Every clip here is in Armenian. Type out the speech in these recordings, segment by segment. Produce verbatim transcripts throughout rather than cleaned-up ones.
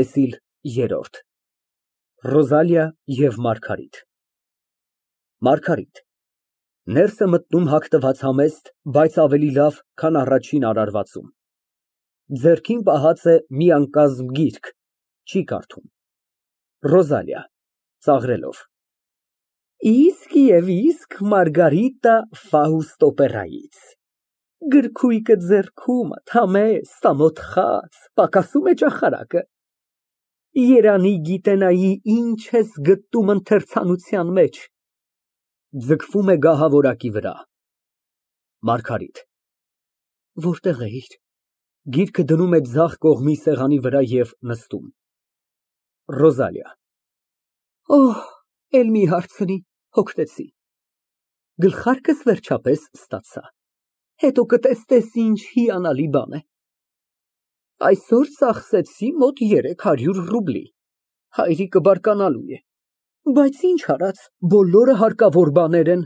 ՏԵՍԻԼ ԵՐՐՈՐԴ ՌՈԶԱԼԻԱ ԵՎ ՄԱՐԳԱՐԻՏ ՄԱՐԳԱՐԻՏ ֊ Ներս է մտնում հագնված համեստ, բայց ավելի լավ, քան առաջին արարվածում, ձեռքին պահած է մի անկազմ գիրք, չի կարդում։ ՌՈԶԱԼԻԱ ֊ (Ծաղրելով) Իսկ և իսկ Մարգարիտտա Ֆաուստ օպերայից, գրքույկը ձեռքումդ, համեստ, ամոթխած, պակասում է ճախարակը, երանի գիտենայի ինչ ես գտնում ընթերցանության մեջ։ (Ձգվում է գահավորակի վրա)։ ՄԱՐԳԱՐԻՏ ֊ Որտե՞ղ էիր։ (Գիրքը դնում է ձախ կողմի սեղանի վրա և նստում)։ ՌՈԶԱԼԻԱ ֊ Օհ, էլ մի հարցնի, հոգնեցի։ Գլխարկս վերջապես ստացա, հետո կտեսնես ինչ հիանալի բան է։ Այսօր ծախսեցի մոտ երեք հարյուր ռուբլի, հայրիկը բարկանալու է, բայց ինչ արած, բոլորը հարկավոր բաներ են։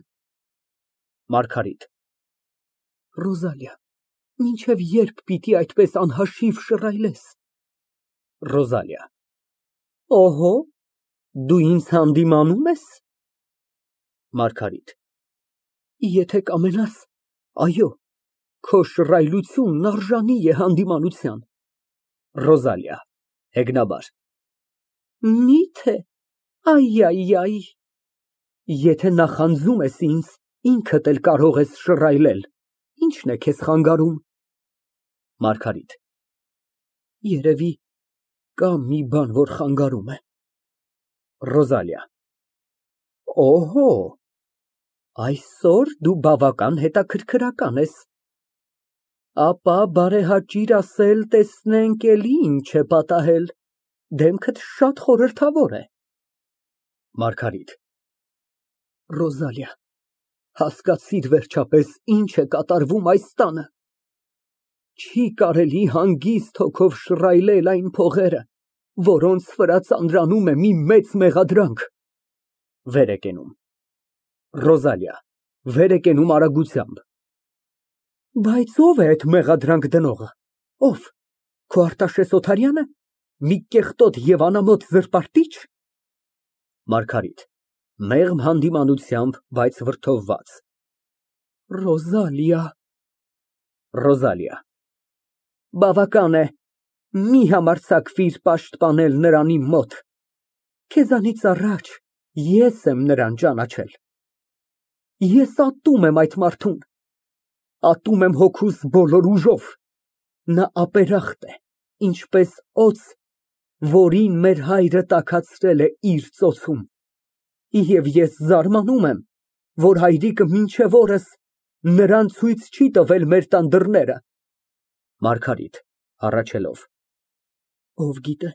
ՄԱՐԳԱՐԻՏ ֊ Ռոզալիա, մինչև ե՞րբ պիտի այդպես անհաշիվ շռայլես։ ՌՈԶԱԼԻԱ ֊ Օհո, դու ինձ հանդիմանո՞ւմ ես։ ՄԱՐԳԱՐԻՏ ֊ Եթե կամենաս, այո, քո շռայլությունն արժանի է հանդիմանության։ ՌՈԶԱԼԻԱ ֊ (Հեգնաբար) Մի՞թե, այ, այ, այ։ Եթե նախանձում ես ինձ, ինքդ էլ կարող ես շռայլել, ի՞նչն է քեզ խանգարում։ ՄԱՐԳԱՐԻՏ ֊ Երևի կա մի բան, որ խանգարում է։ ՌՈԶԱԼԻԱ ֊ Օհո, այսօր դու բավական հետաքրքրական ես։ Ապա բարեհաճիր ասել, տեսնենք էլի ինչ է պատահել, դեմքդ շատ խորհրդավոր է։ ՄԱՐԳԱՐԻՏ ֊ Ռոզալիա, հասկացիր վերջապես, ինչ է կատարվում այս տանը։ Չի կարելի հանգիստ հոգով շռայլել այն փողերը, որոնց վրա ծանրանում է մի մեծ մեղադրանք։ (Վեր է կենում)։ ՌՈԶԱԼԻԱ ֊ (Վեր է կենում արագությամբ) Բայց ո՞վ է այդ մեղադրանք դնողը, ո՞վ, քո Արտաշես Օթարյա՞նը, մի կեղտոտ և անամոթ զրպարտի՞չ։ ՄԱՐԳԱՐԻՏ ֊ (Մեղմ հանդիմանությամբ, բայց վրդովված) Ռոզալիա… ՌՈԶԱԼԻԱ ֊ Բավական է, մի համարձակվիր պաշտպանել նրան իմ մոտ, քեզանից առաջ ես եմ նրան ճանաչել։ Ես ատում եմ այդ մարդուն, ատում եմ հոգուս բոլոր ուժով, նա ապերախտ է, ինչպես օձ, որին մեր հայրը տաքացրել է իր ծոցում, և ես զարմանում եմ, որ հայրիկը մինչև օրս նրան ցույց չի տվել մեր տան դռները։ ՄԱՐԳԱՐԻՏ ֊ (Հառաչելով) Ով գիտե,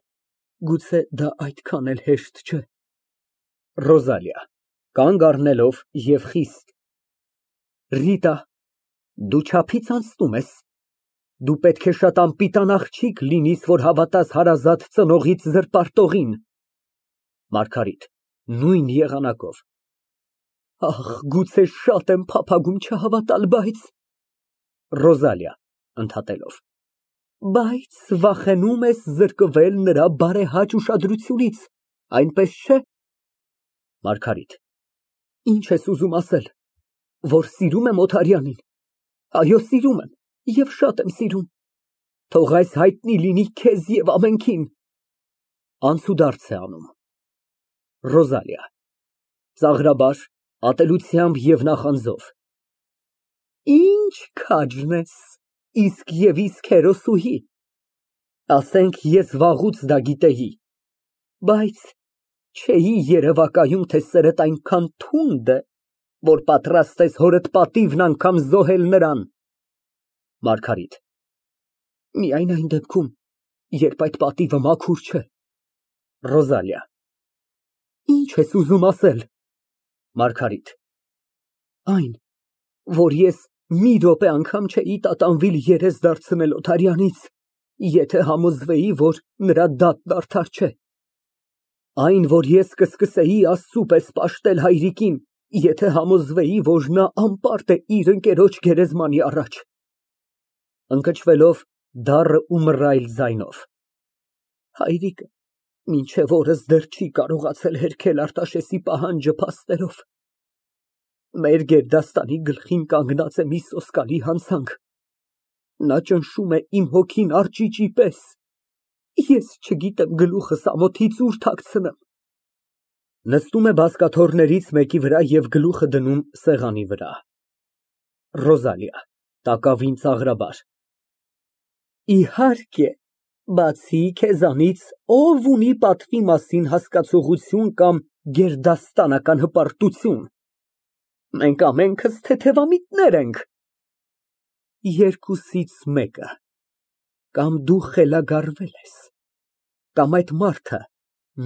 գուցե դա այդքան էլ հեշտ չէ։ ՌՈԶԱԼԻԱ ֊ (Կանգ առնելով և խիստ) Ռիտա, դու չափից անցնում ես, դու պետք է շատ անպիտան աղջիկ լինես, որ հավատաս հարազատ ծնողիդ զրպարտողին։ ՄԱՐԳԱՐԻՏ ֊ (Նույն եղանակով) Ախ, գուցե շատ եմ փափագում չհավատալ, բայց… ՌՈԶԱԼԻԱ ֊ (Ընդհատելով) Բայց վախենում ես զրկվել նրա բարեհաճ ուշադրությունից, այնպես չէ։ ՄԱՐԳԱՐԻՏ ֊ Ինչ ես ուզում ասել, որ սիրում եմ Օթարյանին։ Այո, սիրում եմ և շատ եմ սիրում, թող այս հայտնի լինի քեզ և ամենքին։ (Անցուդարձ է անում)։ ՌՈԶԱԼԻԱ ֊ (Ծաղրաբար, ատելությամբ և նախանձով) Ինչ քաջն ես, իսկ և իսկ հերոսուհի։ Ասենք, ես վաղուց դա գիտեի, բայց չէի երևակայում, թե սերդ այնքան թունդ է, որ պատրաստ ես հորդ պատիվն անգամ զոհել նրան։ ՄԱՐԳԱՐԻՏ ֊ Միայն այն դեպքում, երբ այդ պատիվը մաքուր չէ։ ՌՈԶԱԼԻԱ ֊ Ինչ ես ուզում ասել։ ՄԱՐԳԱՐԻՏ ֊ Այն, որ ես մի րոպե անգամ չէի տատանվի երես դարձնել Օթարյանից, եթե համոզվեի, որ նրա դատն արդար չէ։ Այն, որ ես կսկսեի Աստծու պես պաշտել հայրիկին, եթե համոզվեի, որ նա անպարտ է իր ընկերոջ գերեզմանի առաջ։ (Ընկճվելով դառն ու մռայլ ձայնով) Հայրիկը մինչև օրս դեռ չի կարողացել հերքել Արտաշեսի պահանջը փաստերով։ Մեր գերդաստանի գլխին կանգնած է մի սոսկալի հանցանք, նա ճնշում է իմ հոգին արճիճի պես, ես չգիտեմ գլուխս ամոթից ուր թաքցնեմ։ Նստում է բազկաթոռներից մեկի վրա և գլուխը դնում սեղանի վրա։ ՌՈԶԱԼԻԱ ֊ (Տակավին ծաղրաբար) Իհարկե, բացի քեզանից ո՞վ ունի պատվի մասին հասկացողություն կամ գերդաստանական հպարտություն։ Մենք ամենքս թեթևամիտներ ենք։ Երկուսից մեկը, կամ դու խելագարվել ես, կամ այդ մարդը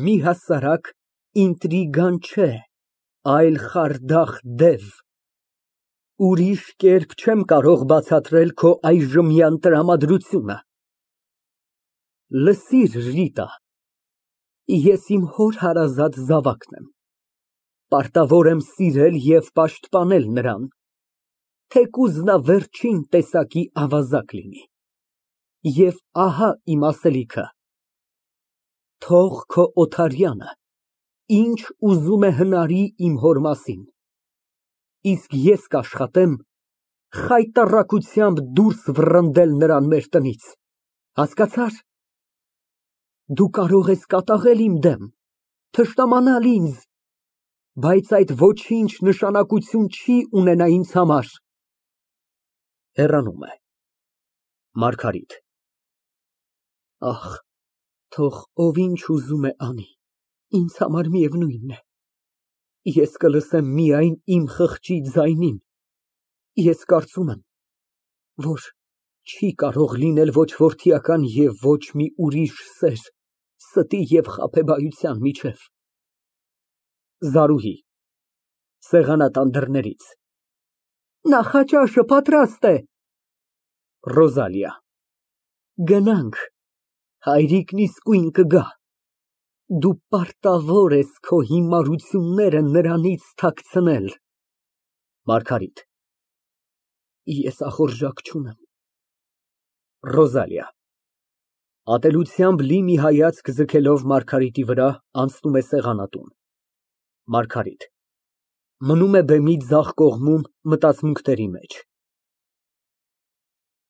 մի հասարակ ինտրիգան չէ, այլ խարդախ դև։ Ուրիշ կերպ չեմ կարող բացատրել քո այժմյան տրամադրությունը։ Լսիր, Ռիտա, ես իմ հոր հարազատ զավակն եմ, պարտավոր եմ սիրել և պաշտպանել նրան, թեկուզ նա վերջին տեսակի ավազակ լինի։ Եվ ահա իմ ասելիքը. թող քո Օթարյանը ինչ ուզում է հնարի իմ հոր մասին, իսկ ես կաշխատեմ խայտառակությամբ դուրս վռնդել նրան մեր տնից, հասկացա՞ր։ Դու կարող ես կատաղել իմ դեմ, թշնամանալ ինձ, բայց այդ ոչինչ նշանակություն չի ունենա ինձ համար։ (Հեռանում է)։ ՄԱՐԳԱՐԻՏ ֊ Ախ, թող ով ինչ ուզում է անի, ինձ համար միևնույն է, ես կլսեմ միայն իմ խղճի ձայնին, ես կարծում եմ, որ չի կարող լինել ոչ որդիական և ոչ մի ուրիշ սեր ստի և խաբեբայության միջև։ ԶԱՐՈՒՀԻ ֊ (Սեղանատան դռներից) Նախաճաշը պատրաստ է։ ՌՈԶԱԼԻԱ ֊ Գնանք, հայրիկն իսկույն կգա, դու պարտավոր ես քո հիմարությունները նրանից թաքցնել։ ՄԱՐԳԱՐԻՏ ֊ Ես ախորժակ չունեմ։ ՌՈԶԱԼԻԱ ֊ (Ատելությամբ լի մի հայացք ձգելով Մարգարիտի վրա, անցնում է սեղանատուն)։ ՄԱՐԳԱՐԻՏ ֊ (Մնում է բեմի ձախ կողմում մտածմունքների մեջ)։